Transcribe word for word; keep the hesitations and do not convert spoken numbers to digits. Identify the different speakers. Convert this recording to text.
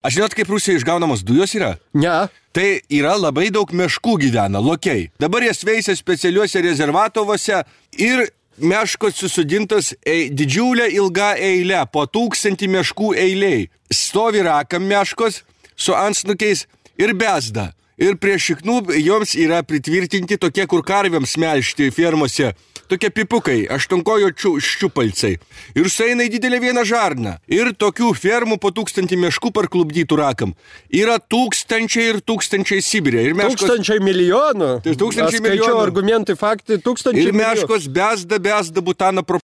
Speaker 1: Aš žinot, kaip Rusijoje išgaunamos dujos yra?
Speaker 2: Ne.
Speaker 1: Tai yra labai daug meškų gyvena, lokiai. Dabar jas veisia specialiuose rezervatovose ir meškos susodintos e, didžiulė ilga eilė, po tūkstantį meškų eiliai. Stovi rakam meškos su antsnukiais ir bezda. Ir prie šiknų joms yra pritvirtinti tokie, kur karviams melžti fermose. Tokie pipukai, aštuonkojo ščiupalcai. Ir sueina į didelę vieną žarną. Ir tokių fermų po tūkstantį meškų parklubdytų rakam. Yra tūkstančiai ir tūkstančiai Sibirė. Ir meškos...
Speaker 2: Tūkstančiai milijonų.
Speaker 1: Tai tūkstančiai
Speaker 2: Aš skaičiau
Speaker 1: milijonų.
Speaker 2: argumentai, faktai, tūkstančiai
Speaker 1: ir
Speaker 2: milijonų.
Speaker 1: Ir meškos bezda, bezda butaną pro